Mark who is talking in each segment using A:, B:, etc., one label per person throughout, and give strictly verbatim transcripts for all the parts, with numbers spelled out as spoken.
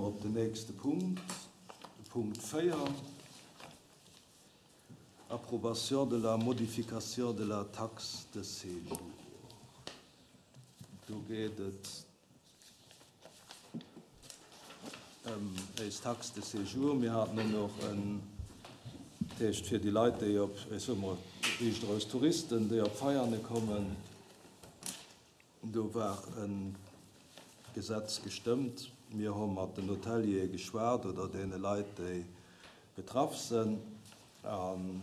A: mer op den nächste Punkt, de Punkt véier, Approbation de la modification de la taxe de séjour. Do geet et ëm eis Taxe de séjour. Mir haten och nach en, dat heescht fir déi Leit, déi op, ech soe mol riicht eraus Touristen, déi op Veiane kommen, do war e Gesetz gestëmmt. Mir hu mat den Hoteliere geschwat oder deene Leit, déi betraff sinn. An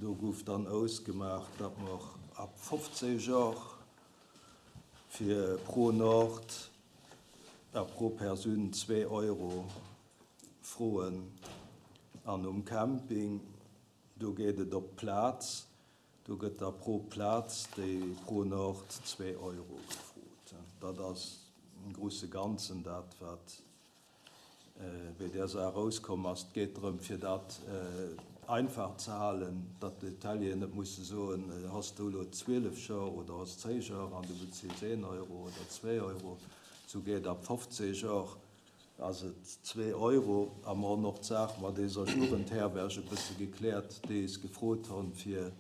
A: do gouf dann ausgemaach, datt mer ab fofzéng Joer fir pro Nord a pro Persoun zwee Euro froen. An um Camping, do geet et op d'Plaz, do gëtt da pro Plaz déi pro Nord zwee Euro gefrot. Dat ass im große Ganzen dat, wat bei där Saach erauskomm ass. Et geet drëm, fir dat einfach ze halen, datt d'Hotelieren net musse soen, Has du elo zwielef Joer oder has zéng Joer an du bezills een Euro oder zwee Euro. Esou geet ab fofzéng Joer ass et zwee Euro. A mer hunn och d'Saach mat deeser Jugendherberg e bësse gekläert, déi eis gefrot hunn, fir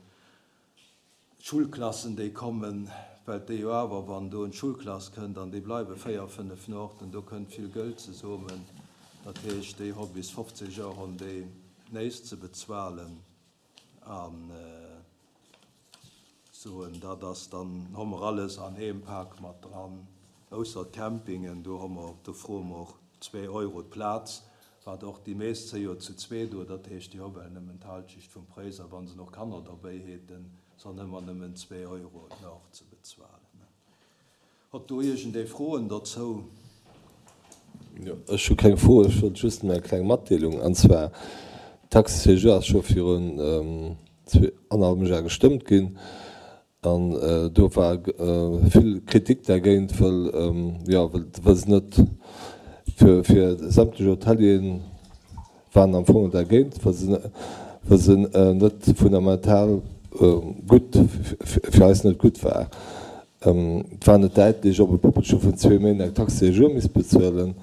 A: d'Schulklassen, déi kommen, well déi jo awer, wann do en Schulklass kënnt an déi bleiwe véier, fënnef Nuachten, do kënnt vill Gëld zesummen. Dat heescht, déi hu bis fofzéng Joer hunn déi näischt ze bezuelen. An soen, dat ass dann, hu mer alles an eem Pak mat dran, ausser d'Campingen, do hu mer, do froe mer och zwee Euro d'Plaz, wat och déi meescht si jo zu zwee do, dat heescht, déi hu well nëmmen d'Halschecht vum Präis, a wa se nach Kanner derbäi hätten, sollen ëmmer nëmmen zwee Euro nach ze bezuelen. Hutt do iergendee Froen dozou?
B: Jo, ech hu keng Fro, ech wollt just eng kleng Matdeelung, an zwar, d'Taxe séjour ass scho virun zwee, annerhallwem Jar gestëmmt ginn, an do war vill Kritik dergéint, wëll, jo, wëll se net fir, fir sämtlech Hotelieren waren am Fong dergéint, wëll se, wëll se net fundamental gutt, fir eis net gutt war. Et war net däitlech, ob e Puppelche vun zwee Méint eng Taxe séjour misst bezuelen.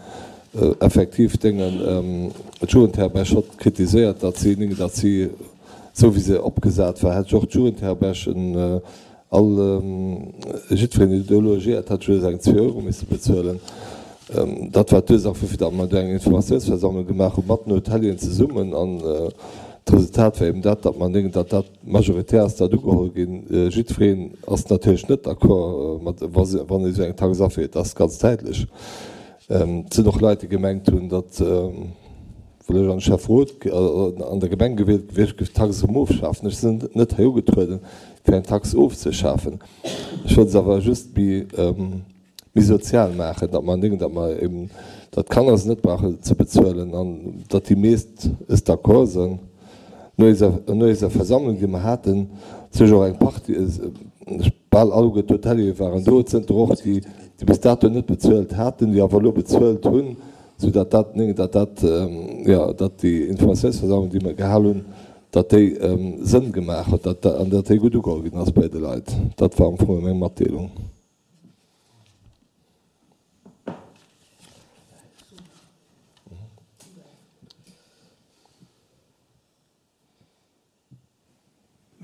B: Effektiv déngen d'Jugendherberg hott kritiséiert, datt si, datt si, esou wéi se opgesat war, hätt och d'Jugendherbergen all, jiddwereen, deen do logéiert hätt, just eng zwee Euro misse bezuelen. Dat war d'Ursaach wuerfir datt mer do eng Informatiounsversammlung gemaach hu mat den Hotelieren zesummen. An d'Resultat war eben dat, datt mer denken, datt dat majoritär ass dat ugeholl ginn. Jiddwereen ass natierlech net d'accord mat, wa se, wann ee esou eng Tax aféiert, dat ass ganz däitlech. Et sinn och Leit, déi gemengt hunn, datt, well ech an de Schäfferot an der Gemeng gewielt gewiescht, géif d'Tax erëm ofschafen. Ech sinn net hei ugetrueden, fir eng Tax ofzeschafen. Ech wollt se awer just méi, méi sozial maachen, datt mer denken, datt mer eben, datt d'Kanner se net brauchen ze bezuelen an datt déi meescht es d'accord sinn. No eiser, no eiser Versammlung, déi mer haten, sech och eng Partie, bal alleguer d'Hoteliere waren do, et sënn der och déi, déi bis dato net bezuelt haten, déi awer elo bezuelt hunn, soudatt dat, datt dat, jo, datt déi Informatiounsversammlung, déi mer gehal hunn, datt déi Sënn gemaach huet, datt, an datt déi gutt ugeholl ginn ass bei de Leit. Dat war am Fong meng Matdeelung.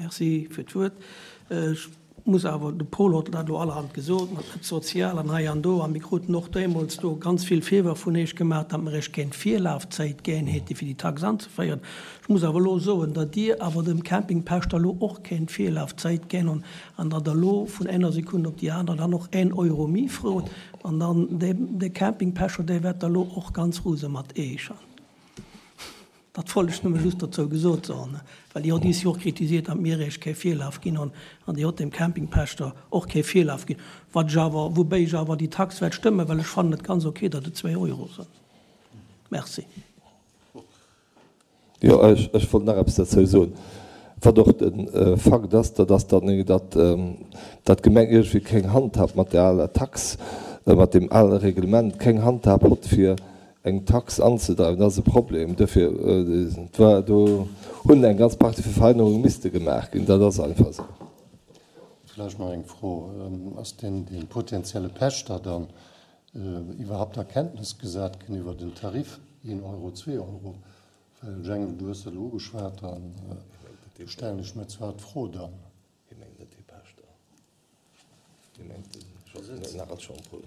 C: Merci fir d'Wuert. Ech muss awer, de Paul huet dat elo allerhand gesot, mat net sozial an hei an do, a mir kruten och deemools do ganz vill Virwërf vun Iech gemaach, datt mer Iech kéint Virlafzäit ginn hätte fir déi Tax anzeféieren. Ech muss awer elo soen, datt Dir awer dem Campingpächter elo och kéint Virlafzäit ginn an an datt Der elo vun enger Sekunn op déi aner dann och een Euro méi frot an dann dee Campingpächter, dee wäert da elo och ganz rose mat Iech. Dat wollt ech nëmme just dozou gesot soen, well Dir hott is jo och kritisiert, datt mir Iech kee Virlaf ginn hunn an Dir hott dem Campingpächter och kee Virlaf ginn, wat ech awer, woubäi ech awer déi Tax wäert stëmmen, well ech fannen et ganz ok, datt et zwee Euro sënn. Merci.
B: Jo, ech, ech wollt nach eppes dozou soen, wat och de Fakt ass, dat ass, datt, datt, datt d'Gemeng iergendwéi keng Handhab mat där aler Tax, mat deem ale Reglement keng Handhab hott, fir eng Tax anzedreiwen. Dat ass e Problem. Duerfir, et war, do hunn eng ganz Partie vu Verännerunge misste gemaach ginn. Dat ass einfach esou.
D: Vläicht nach eng Fro, Ass deen, dee potenzielle Pächter dann iwwerhaupt a Kenntnis gesat ginn iwwer den Tarif, een Euro, zwee Euro? Well Jengel, du hues dat elo ugeschwat, an do stellen ech mir zwar d'Fro dann.
B: Hie mengt net dee Pächter, hie mengt den Nagel Jean-Paul.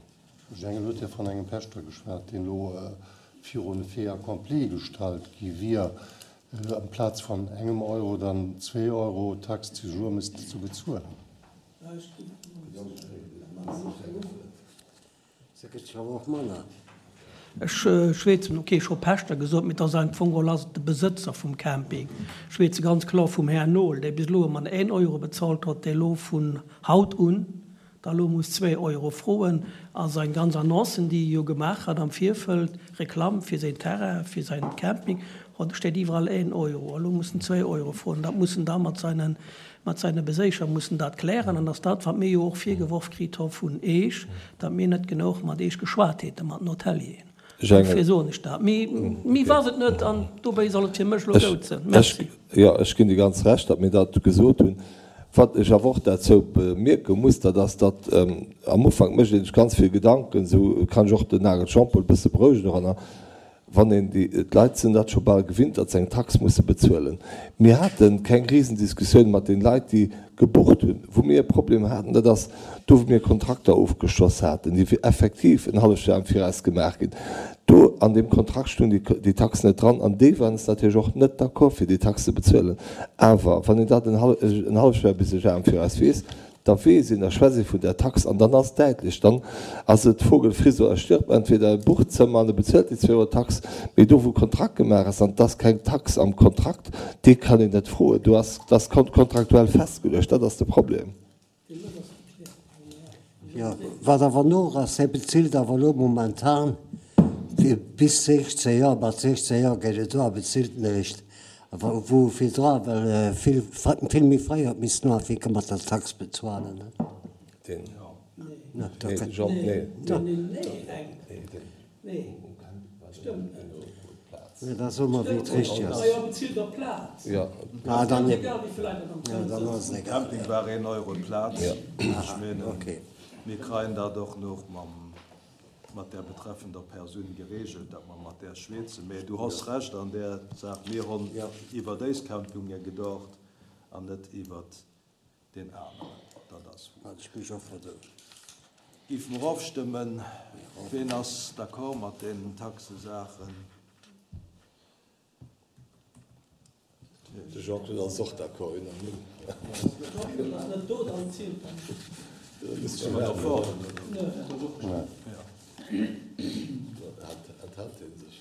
D: Jengel huet jo vun engem Pächter geschwat, deen elo virun e Fait accompli gestallt gi wier, amplaz vun engem Euro dann zwee Euro Taxe de séjour missten ze bezuelen.
E: Se gëtt jo awer och manner.
C: Ech schwätzen, ok, ech hu Pächter gesot, mee et ass am Fong geholl ass et de Besëtzer vum Camping. Ech schwätze ganz kloer vum Här Noel, dee bis elo ëmmer een Euro bezahlt huet, dee elo vun haut un da elo muss zwee Euro froen. A seng ganz Annoncen, déi e jo gemaach hat am Virfeld, Reklamm fir säin Terrain, fir säin Camping, do steet iwwerall een Euro. Elo muss en zwee Euro froen. Dat muss en da mat seinen, mat seine Beséicher muss en dat klären. An ass dat, wat mir jo och virgeworf kritt hu vun Eech, datt mir net genuch mat Eech geschwat hätte, mat den Hotelieren. Dofir soen ech dat. Mee méi war et net an dobäi soll et fir mech elo goud sinn. Merci.
B: Jo, ech ginn dir ganz Recht, datt mir dat gesot hunn. Wat ech awer och derzou bemierke muss, dat ass, datt am Ufank mécht ee sech ganz vill Gedanken, esou kann ech och den Nagel Jean-Paul e bësse berouegen doranner, wann een déi, d'Leit sinn dat scho bal gewinnt, datt se eng Tax musse bezuelen. Mir hate keng Risendiskussioun mat den Leit, déi gebucht hunn. Wou mir e Problem haten, dat ass do, wou mir Kontrakter ofgeschloss haten, déi effektiv en halleft Joer am Viraus gemaach ginn. Do an deem Kontrakt stoung déi Tax net dran an déi waren natierlech och net d'accord, fir déi Tax ze bezuelen. Awer wann een dat en halleft Joer bis e Joer am Viraus weess, da weess een, da schwätzt ee vun där Tax an dann ass däitlech, dann ass et Vogel friss oder stirb, entweder e bucht d'Zëmmer an e bezuelt déi zwee Euro Tax, mee do wou Kontrakt gemaach ass an et ass keng Tax am Kontrakt, dee kann een net froen, do ass, dat ass kontraktuell festgeluecht, dat ass de Problem.
E: Jo, wat awer no ass, hie bezilt awer elo momentan fir bis sechzéng Joer, mat sechzéng Joer geet et do a bezilt en eréischt, awer wou virdra well vill, vill méi fréi huet missen ufänke mat der Tax bezuelen.
B: Deen,
E: Nee,
B: nee, Jean, nee,
C: Nee, stëmmt net.
E: Nee, da so mer, wéi et richteg ass.
B: Ja.
E: Ah, dann eben. Ja, dann ass et egal.
A: Camping war een Euro d'Plaz. Ech menen,
E: Okay.
A: mir kreien dat och noch mam, mat der betreffender Persoun geregelt, datt mer mat där schwätzen. Mä du has Recht an där Saach, mir hunn iwwer déis Campinge gedacht an net iwwer den aneren. Dat ass wuer.
E: Hat ech mech och verdoen.
A: Géife mer ofstëmmen. Ween ass d'accord mat deenen Taxesaachen?
B: De Jean-Claude ass och d'accord, unanime. Enthält hie sech?